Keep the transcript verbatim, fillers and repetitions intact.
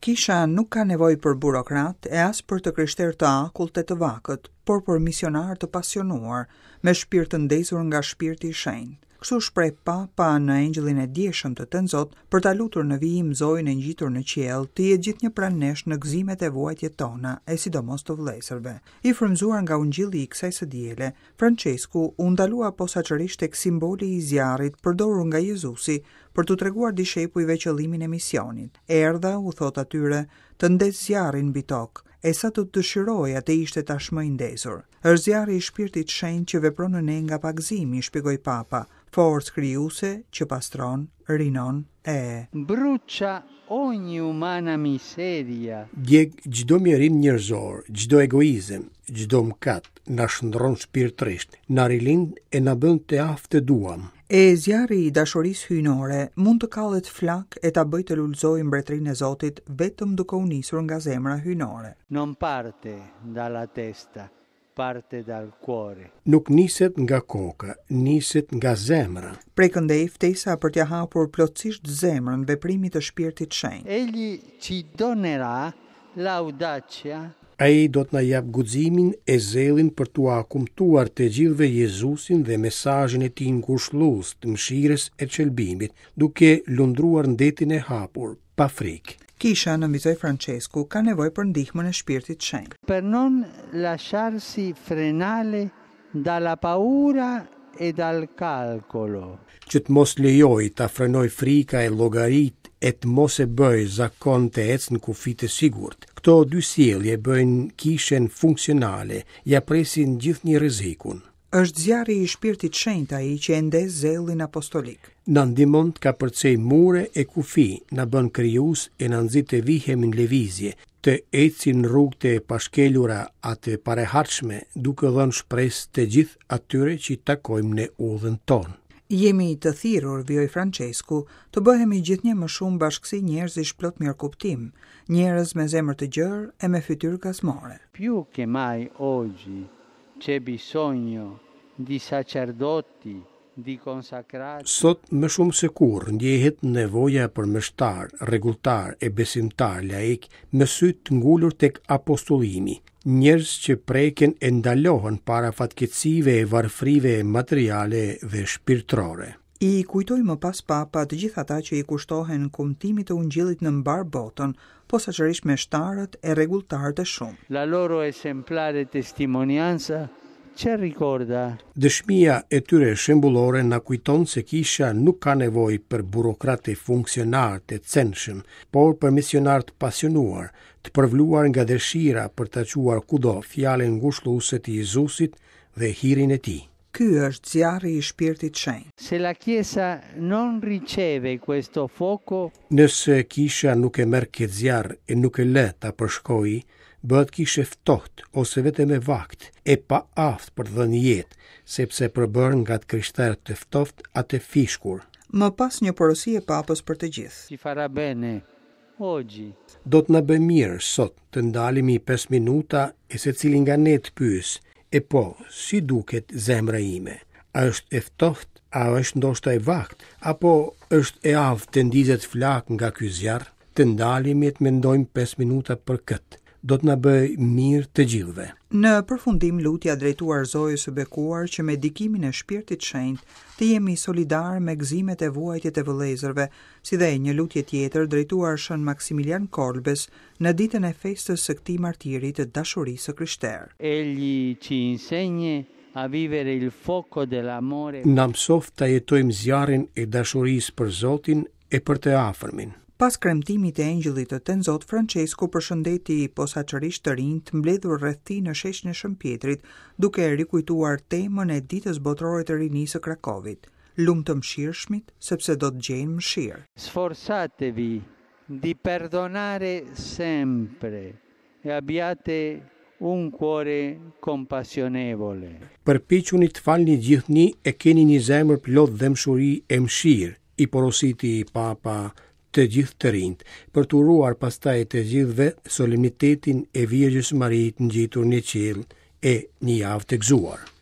Kisha nuk ka nevojë për burokrat e as për të krishterë të akullt e të vakët, por për misionarë të pasionuar, me shpirt të ndezur nga shpirti i shenjtë. Kështu shpreh Papa në Engjëllin e djeshëm të Tënzot për ta lutur në vijim Zojën e ngjitur në qiell, të jetë gjithnjë pranë nesh në gëzimet e vuajtjet tona, e sidomos të vëllezërve. I frymzuar nga ungjilli i kësaj së diele, Francesku u ndalua posaçërisht tek simboli i zjarrit përdorur nga Jezusi për t'u treguar dishepujve qëllimin e misionit. Erdha, u thot atyre, të ndez zjarrin mbi tokë, e sa të dëshiroja të ishte tashmë i ndezur. Është zjarri i shpirtit shenjt që vepron në ne nga pagëzimi, shpjegoi Papa, forcë krijuese që pastron, rinon e Brucia ogni umana miseria. Djeg çdo mjerim njerëzor, çdo egoizëm, çdo mëkat, na shndron shpirtërisht, na rilind e na bën të aftë të duam. E zjarri i dashurisë hyjnore mund të kallet flak e ta bëjë të lulëzojë mbretërinë e Zotit vetëm duke u nisur nga zemra hyjnore. Non parte dalla testa, parte dal cuore. Nuk niset nga koka, niset nga zemra. Prej këndej ftesa për t'ia hapur plotësisht zemrën veprimit të shpirtit shenjt. Egli ci donerà l'audacia Ai do të na jap guximin e zellin për t'ua kumtuar të gjithëve Jezusin dhe mesazhin e tij ngushëllues të mëshirës e shëlbimit, duke lundruar në detin e hapur, pa frikë. Kisha, nënvizoi Francesku, ka nevojë për ndihmën e shpirtit shenjt. Per non lasciarsi frenare dalla paura e dal calcolo. Që të mos lejoj ta frenoj frika e llogarit e të mos e bëj zakon të ecë në kufi të sigurt. Këto dy sjellje bëjnë kishën funksionale, ja presin gjithnjë rrezikun. Është zjarri i shpirtit shenjt ai që e ndez zellin apostolik. Na ndihmon të kapërcej mure e kufi, na bën krijues e na nxit të vihemi në lëvizje, të ecim në rrugë të pashkelura a të parehatshme, duke dhënë shpresë të gjithë atyre që i takojmë në udhën tonë. Jemi të thirrur, vijoi Francesku, të bëhemi gjithnjë më shumë bashkësi njerëzish plot mirëkuptim, njerëz me zemër të gjerë e me fytyrë gazmore. Più che mai oggi c'è bisogno di sacerdoti, di consacrati. Sot më shumë se kurrë ndjehet nevoja për meshtar, rregulltar e besimtar laik me sy të ngulur tek apostollimi, njerëz që preken e ndalohen para fatkeqësive e varfrive materiale dhe shpirtërore. I kujtoi më pas Papa të gjithë ata që i kushtohen kumtimit të ungjillit në mbar botën, posaçërisht meshtarët e rregulltarët e shumë. La loro esemplare testimonianza ci ricorda Dëshmia e tyre shembullore na kujton se kisha nuk ka nevojë për burokratë e funksionarë të censhëm, por për misionarë të pasionuar, të përvluar nga dëshira për ta çuar kudo fjalën ngushëlluese të Jezusit dhe hirin e tij. Ky është zjarri i shpirtit shenjt. Se la Chiesa non riceve questo fuoco, Nëse kisha nuk e merr këtë zjarr e nuk e lë ta përshkoj, bëhet kishë e ftohtë ose vetëm e vakt, e pa aftë për të dhënë jetë, sepse përbërë nga të krishterë të ftohtë a të fishkur. Më pas një porosi e Papës për të gjithë. Ci farà bene oggi Do të na bëjë mirë sot të ndalemi pesë minuta e secili nga ne të pyes, e po, si duket zemra ime? A është e ftohtë, a është ndoshta e vakt, apo është e aftë të ndizet flak nga ky zjarr? Të ndalemi e të mendojmë pesë minuta për këtë. Do të na bëjë mirë të gjithëve. Në përfundim lutja drejtuar Zojës së bekuar që me ndikimin e shpirtit shenjt të jemi solidar me gëzimet e vuajtjet e vëllezërve, si dhe një lutje tjetër drejtuar Shën Maksimilian Kolbes në ditën e festës së këtij martiri të dashurisë së krishterë. Egli ci insegna a vivere il fuoco dell'amore. Na mësoft ta jetojmë zjarrin e dashurisë për Zotin e për të afërmin. Pas kremtimit të Engjëllit të Tenzot, Francesku përshëndeti posaçërisht të rinjt mbledhur rreth tij në sheshin e Shën Pjetrit, duke rikujtuar temën e Ditës Botërore të Rinisë së Krakovit. Lum të mëshirshmit, sepse do të gjejnë mëshirë. Sforzatevi di perdonare sempre e abbiate un cuore compassionevole. Përpiquni të falni gjithnjë e keni një zemër plot dhembshuri e mëshirë, i porositi Papa të gjithë të rinjt, për të uruar pastaj të gjithëve solemnitetin e Virgjës Marie të ngjitur në qiell e një javë të gëzuar.